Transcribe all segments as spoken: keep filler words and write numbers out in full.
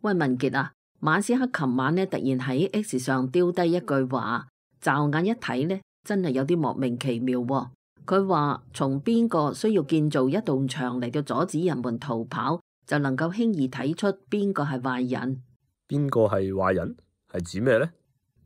喂，文傑啊，馬斯克琴晚咧突然喺 X 上丟低一句話，驟眼一睇咧，真係有啲莫名其妙喎。佢話從邊個需要建造一道牆嚟到阻止人們逃跑，就能夠輕易睇出邊個係壞人。邊個係壞人？係指咩呢？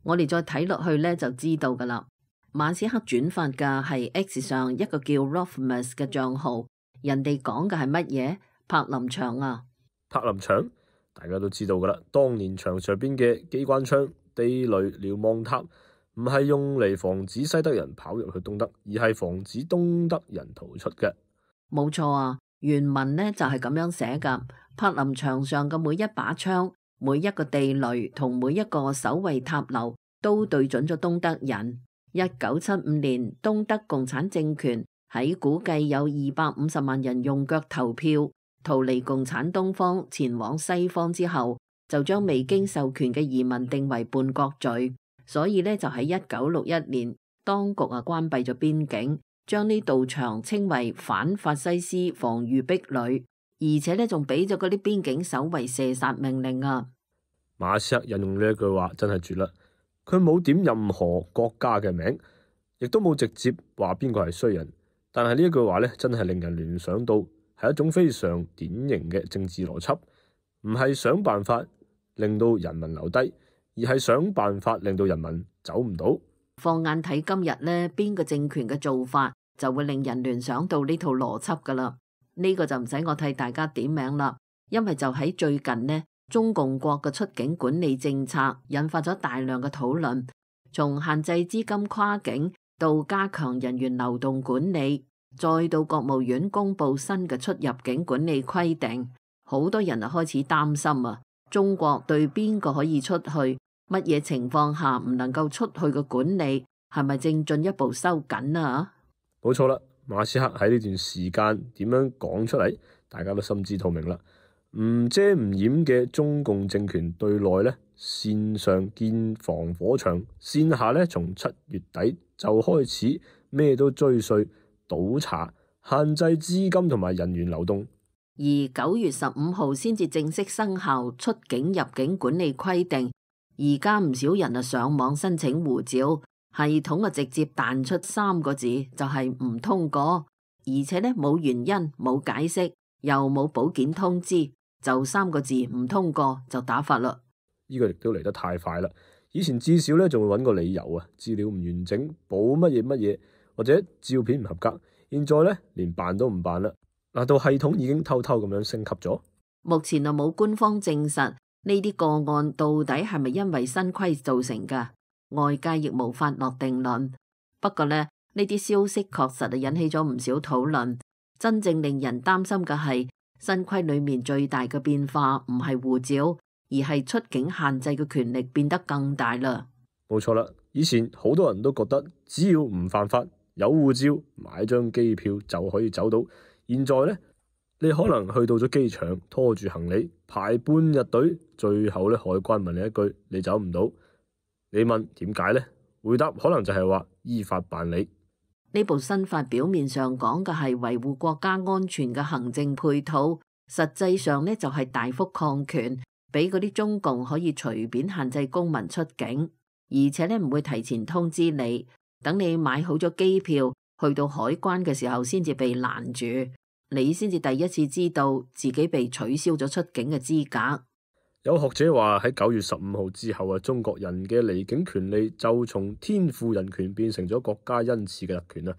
我哋再睇落去咧就知道噶啦。馬斯克轉發嘅係 X 上一個叫 Rofmus 嘅賬號，人哋講嘅係乜嘢？柏林牆啊！柏林牆大家都知道噶啦，當年牆上邊嘅機關槍、地雷、瞭望塔，唔係用嚟防止西德人跑入去東德，而係防止東德人逃出嘅。冇錯啊，原文呢就係咁樣寫噶。柏林牆上嘅每一把槍、每一個地雷同每一個守衛塔樓，都對準咗東德人。一九七五年，東德共產政權喺估計有二百五十萬人用腳投票，逃離共產東方，前往西方之後，就將未經授權嘅移民定為叛國罪。所以呢，就喺一九六一年，當局啊關閉咗邊境，將呢道牆稱為反法西斯防禦壁壘，而且呢，仲俾咗嗰啲邊境守衛射殺命令啊！馬斯克引用呢一句話真係絕啦，佢冇點任何國家嘅名，亦都冇直接話邊個係衰人，但係呢一句話呢，真係令人聯想到係一種非常典型嘅政治邏輯，唔係想辦法令到人民留低，而係想辦法令到人民走唔到。放眼睇今日呢，邊個政權嘅做法就會令人聯想到呢套邏輯噶啦。呢個就唔使我替大家點名啦，因為就喺最近呢，中共國嘅出境管理政策引發咗大量嘅討論，從限制資金跨境到加強人員流動管理，再到國務院公布新嘅出入境管理規定，好多人啊開始擔心啊，中國對邊個可以出去，乜嘢情況下唔能夠出去嘅管理係咪正進一步收緊啊？冇錯啦，馬斯克喺呢段時間點樣講出嚟，大家都心知肚明啦。唔遮唔掩嘅中共政權對內呢，線上建防火牆，線下呢，從七月底就開始咩都追稅、倒查、限制資金同埋人員流動，而九月十五號先至正式生效出境入境管理規定。而家唔少人啊上網申請護照，系統啊直接彈出三個字，就係唔通過，而且呢，冇原因、冇解釋，又冇保件通知，就三個字唔通過就打發啦。呢個亦都嚟得太快啦！以前至少呢仲會揾個理由啊，資料唔完整，補乜嘢乜嘢，或者照片唔合格。現在呢，連辦都唔辦啦。嗱，到系統已經偷偷咁樣升級咗。目前啊冇官方證實呢啲個案到底係咪因為新規造成噶，外界亦無法落定論。不過呢，呢啲消息確實係引起咗唔少討論。真正令人擔心嘅係新規裏面最大嘅變化唔係護照，而係出境限制嘅權力變得更大啦。冇錯啦，以前好多人都覺得只要唔犯法，有護照買張機票就可以走到。現在呢，你可能去到咗機場，拖住行李排半日隊，最後呢，海關問你一句，你走唔到。你問點解呢？回答可能就係話依法辦理。呢部新法表面上講嘅係維護國家安全嘅行政配套，實際上呢，就係大幅擴權，俾嗰啲中共可以隨便限制公民出境，而且呢，唔會提前通知你，等你買好咗機票去到海關嘅時候先至被攔住，你先至第一次知道自己被取消咗出境嘅資格。有學者話喺九月十五號之後啊，中國人嘅離境權利就從天賦人權變成咗國家恩賜嘅特權啦。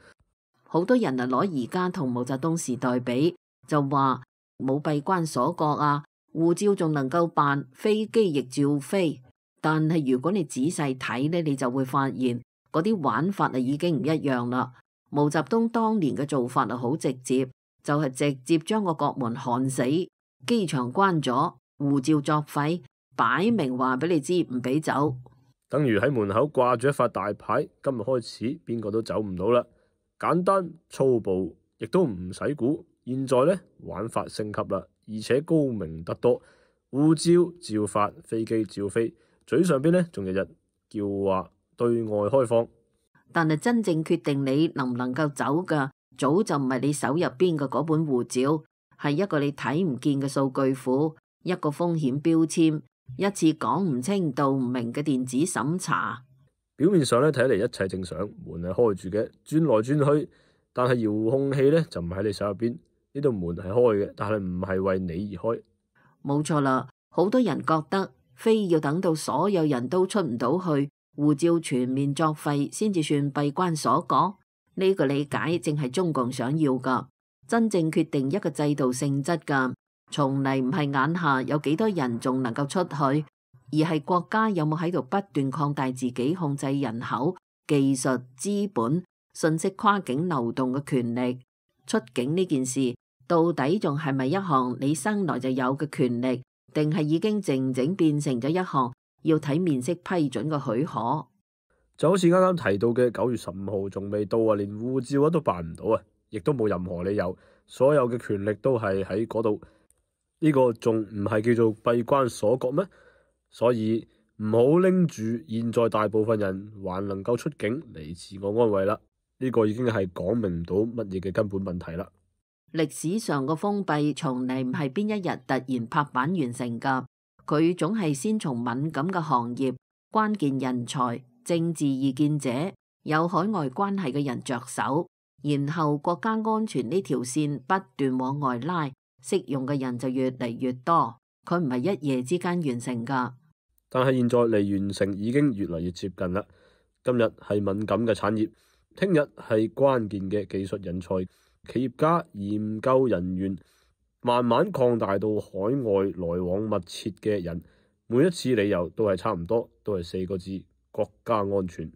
好多人啊攞而家同毛澤東時代比，就話冇閉關鎖國啊，護照仲能夠辦，飛機亦照飛。但係如果你仔細睇呢，你就會發現嗰啲玩法啊已經唔一樣啦。毛澤東當年嘅做法啊好直接，就係直接將個國門焊死，機場關咗，護照作廢，擺明話俾你知唔俾走。等於喺門口掛住一塊大牌，今日開始邊個都走唔到啦。簡單粗暴，亦都唔使估。現在呢，玩法升級啦，而且高明得多。護照照發，飛機照飛，嘴上邊呢仲日日叫話對外開放。但係真正決定你能唔能夠走噶，早就唔係你手入邊嘅嗰本護照，係一個你睇唔見嘅數據庫。一個風險標籤，一次講唔清道唔明嘅電子審查。表面上咧睇嚟一切正常，門係開住嘅，轉來轉去，但係遙控器咧就唔喺你手入邊。呢度門係開嘅，但係唔係為你而開。冇錯啦，好多人覺得非要等到所有人都出唔到去，護照全面作廢先至算閉關鎖國。呢個理解正係中共想要噶。真正決定一個制度性質噶，從嚟唔係眼下有幾多人仲能夠出去，而係國家有冇喺度不斷擴大自己控制人口、技術、資本、信息跨境流動嘅權力。出境呢件事到底仲係咪一項你生來就有嘅權力，定係已經靜靜變成咗一項要睇面色批准嘅許可？就好似啱啱提到嘅九月十五號仲未到啊，連護照都辦唔到啊，亦都冇任何理由，所有嘅權力都係喺嗰度。呢個仲唔係叫做閉關鎖國咩？所以唔好拎住現在大部分人還能夠出境嚟自我安慰啦。呢個已經係講明唔到乜嘢嘅根本問題啦。歷史上個封閉從嚟唔係邊一日突然拍板完成噶，佢總係先從敏感嘅行業、關鍵人才、政治意見者、有海外關係嘅人着手，然後國家安全呢條線不斷往外拉，適用嘅人就越嚟越多。佢唔係一夜之間完成噶。但係現在離完成已經越嚟越接近啦。今日係敏感嘅產業，聽日係關鍵嘅技術人才、企業家、研究人員，慢慢擴大到海外來往密切嘅人。每一次理由都係差唔多，都係四個字：國家安全。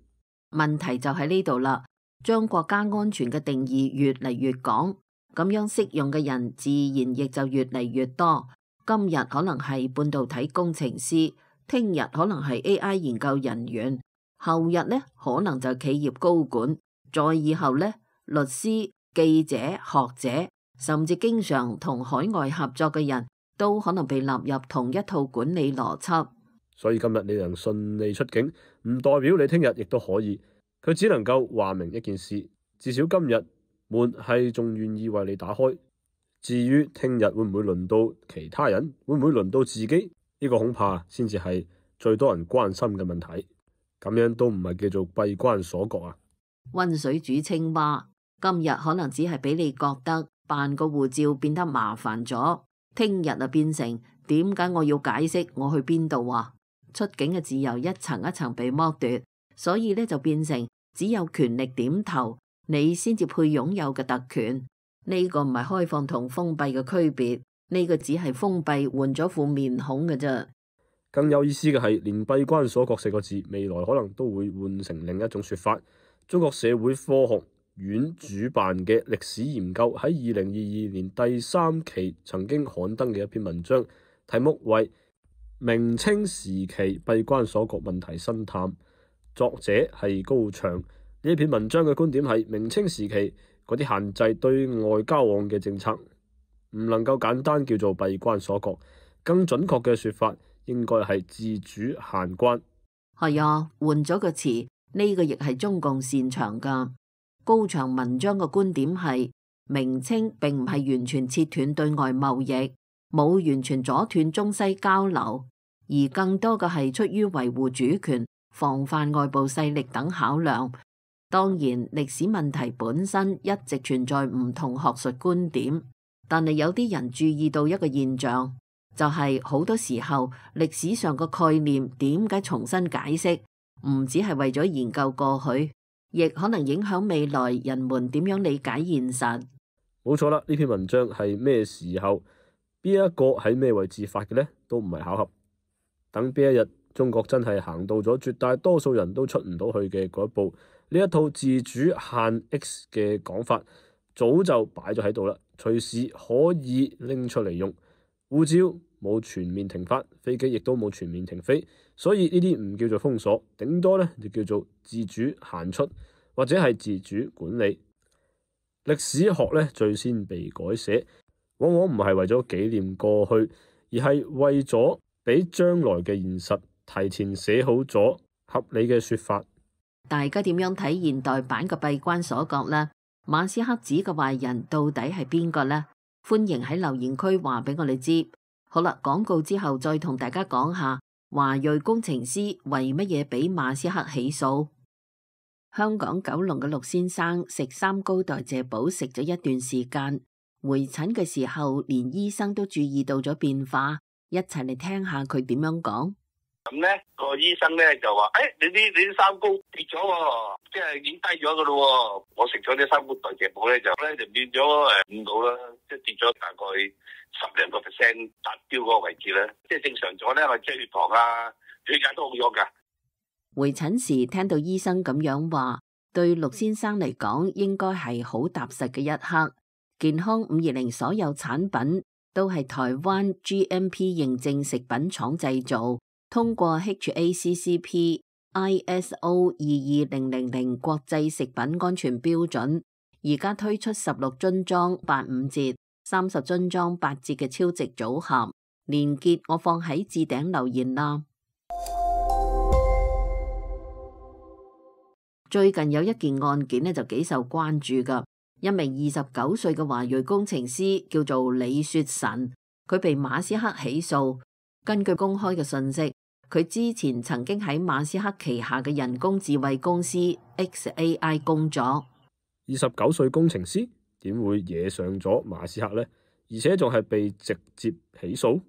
問題就喺呢度啦，將國家安全嘅定義越嚟越廣，咁樣適用嘅人自然亦就越嚟越多。今日可能係半導體工程師，聽日可能係 A I 研究人員，後日呢可能就企業高管，再以後呢律師、記者、學者，甚至經常同海外合作嘅人都可能被納入同一套管理邏輯。所以今日你能順利出境，唔代表你聽日亦都可以。佢只能夠話明一件事，至少今日門係仲願意為你打開。至於聽日會唔會輪到其他人，會唔會輪到自己，呢個恐怕先至係最多人關心嘅問題。咁樣都唔係叫做閉關鎖國啊。溫水煮青蛙，今日可能只係俾你覺得辦個護照變得麻煩咗，聽日啊變成點解我要解釋我去邊度啊？出境嘅自由一層一層被剝奪，所以呢就變成只有權力點頭，你先至配擁有嘅特權。呢個唔係開放同封閉嘅區別，呢個只係封閉換咗副面孔嘅啫。更有意思嘅係，連閉關鎖國四個字，未來可能都會換成另一種說法。中國社會科學院主辦嘅歷史研究喺二零二二年第三期曾經刊登嘅一篇文章，題目為《明清時期閉關鎖國問題深探》，作者係高翔。呢篇文章嘅觀點係，明清時期嗰啲限制對外交往嘅政策唔能夠簡單叫做閉關鎖國，更準確嘅說法應該係自主限關。係啊，換咗個詞，呢個亦係中共擅長噶。高翔文章嘅觀點係，明清並唔係完全切斷對外貿易，冇完全阻斷中西交流，而更多嘅係出於維護主權、防範外部勢力等考量。當然，歷史問題本身一直存在唔同學術觀點，但係有啲人注意到一個現象，就係好多時候歷史上個概念點解重新解釋，唔只係為咗研究過去，亦可能影響未來人們點樣理解現實。冇錯啦，呢篇文章係咩時候、邊一個喺咩位置發嘅呢？都唔係巧合。等邊一日中國真係行到咗絕大多數人都出唔到去嘅嗰一步，呢一套自主限 X 嘅講法早就擺咗喺度啦，隨時可以拎出嚟用。護照冇全面停發，飛機亦都冇全面停飛，所以呢啲唔叫做封鎖，頂多呢就叫做自主限出，或者係自主管理。歷史學呢最先被改寫，往往唔係為咗紀念過去，而係為咗俾將來嘅現實提前寫好咗合理嘅說法。大家點樣睇現代版嘅閉關鎖國呢？馬斯克指嘅壞人到底係邊個呢？歡迎喺留言區話俾我哋知。好啦，廣告之後再同大家講下華裔工程師為乜嘢俾馬斯克起訴。香港九龍嘅陸先生食三高代謝寶食咗一段時間，回診嘅時候連醫生都注意到咗變化，一齊嚟聽下佢點樣講。咁咧個醫生咧就話：，誒、哎，你啲你啲三高跌咗喎，即係已經低咗噶咯。我食咗啲三高代謝寶咧，就咧就變咗誒五度啦，即係跌咗大概十零個 percent 達標嗰個位置咧。即係正常咗咧，我即係血糖啊、血壓都好咗噶。回診時聽到醫生咁樣話，對陸先生嚟講應該係好踏實嘅一刻。健康五二零所有產品都係台灣 G M P 認證食品廠製造，通過 H A C C P I S O 二二零零零國際食品安全標準，而家推出十六樽裝八五折、三十樽裝八折嘅超值組合，連結我放喺置頂留言啦。最近有一件案件呢就幾受關注噶，一名二十九歲嘅華裔工程師叫做李雪臣，佢被馬斯克起訴。根據公開嘅信息，佢之前曾經喺馬斯克旗下嘅人工智慧公司 X A I 工作。二十九歲工程師點會惹上咗馬斯克呢？而且仲係被直接起訴？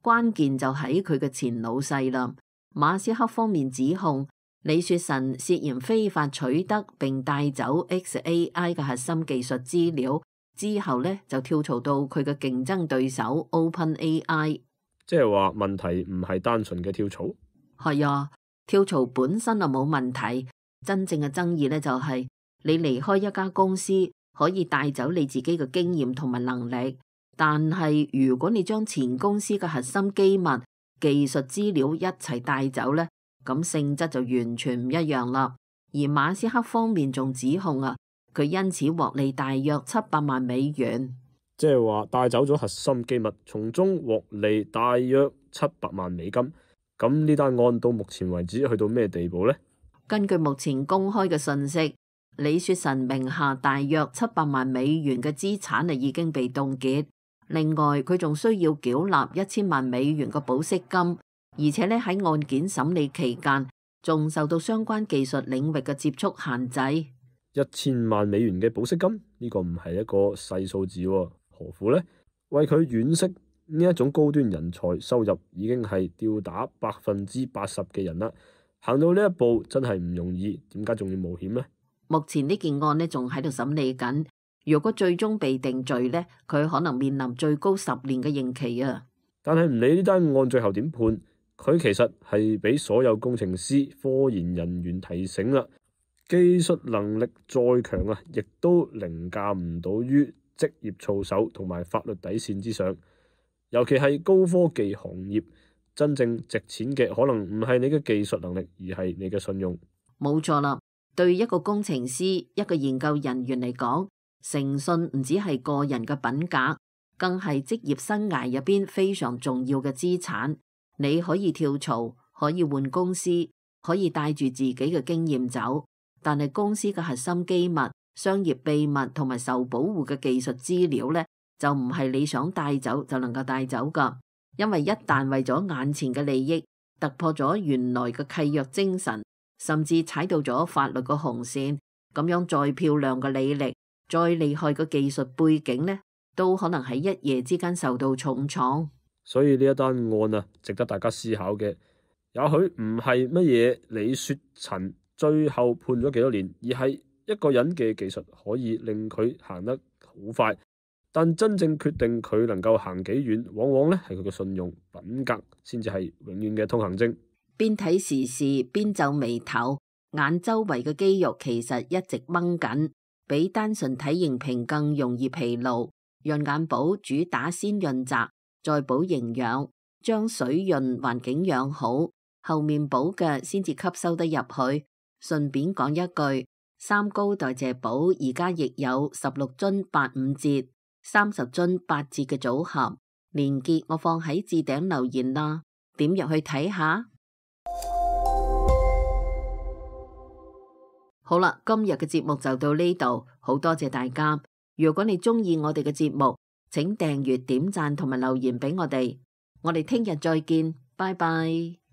關鍵就喺佢嘅前老細啦。馬斯克方面指控李雪臣涉嫌非法取得並帶走 X A I 嘅核心技術資料，之後呢就跳槽到佢嘅競爭對手 Open A I。即係話問題唔係單純嘅跳槽。係啊，跳槽本身就冇問題，真正嘅爭議呢就係你離開一家公司可以帶走你自己嘅經驗同埋能力，但係如果你將前公司嘅核心機密、技術資料一齊帶走呢，咁性質就完全唔一樣啦。而馬斯克方面仲指控啊，佢因此獲利大約七百萬美元。即係話帶走咗核心機密，從中獲利大約七百萬美金。咁呢單案到目前為止去到咩地步呢？根據目前公開嘅信息，李雪臣名下大約七百萬美元嘅資產啊已經被凍結。另外，佢仲需要繳納一千萬美元嘅保釋金，而且咧喺案件審理期間，仲受到相關技術領域嘅接觸限制。一千萬美元嘅保釋金呢個唔係一個細數字喎。何苦呢？為佢惋惜呢一種高端人才收入已經係吊打百分之八十嘅人啦，行到呢一步真係唔容易，點解仲要冒險呢？目前呢件案呢仲喺度審理緊，如果最終被定罪呢，佢可能面臨最高十年嘅刑期啊！但係唔理呢單案最後點判，佢其實係俾所有工程師、科研人員提醒啦，技術能力再強啊，亦都凌駕唔到於職業操守同埋法律底線之上，尤其係高科技行業，真正值錢嘅可能唔係你嘅技術能力，而係你嘅信用。冇錯啦，對一個工程師、一個研究人員嚟講，誠信唔只係個人嘅品格，更係職業生涯入邊非常重要嘅資產。你可以跳槽，可以換公司，可以帶住自己嘅經驗走，但係公司嘅核心機密、商業秘密同埋受保護嘅技術資料呢，就唔係你想帶走就能夠帶走噶。因為一旦為咗眼前嘅利益突破咗原來嘅契約精神，甚至踩到咗法律嘅紅線，咁樣再漂亮嘅履歷、再厲害嘅技術背景呢，都可能喺一夜之間受到重創。所以呢一單案啊，值得大家思考嘅，也許唔係乜嘢李雪臣最後判咗幾多年，而係一個人嘅技術可以令佢行得好快，但真正決定佢能夠行幾遠，往往咧係佢嘅信用品格，先至係永遠嘅通行證。邊睇時事邊皺眉頭，眼周圍嘅肌肉其實一直掹緊，比單純體型平更容易疲勞。潤眼寶主打先潤澤，再補營養，將水潤環境養好，後面補嘅先至吸收得入去。順便講一句，三高代謝寶而家亦有十六樽八五折、三十樽八折嘅組合，連結我放喺置頂留言啦，點入去睇下。好啦，今日嘅節目就到呢度，好多謝大家。如果你中意我哋嘅節目，請訂閱、點讚同埋留言俾我哋。我哋聽日再見，拜拜。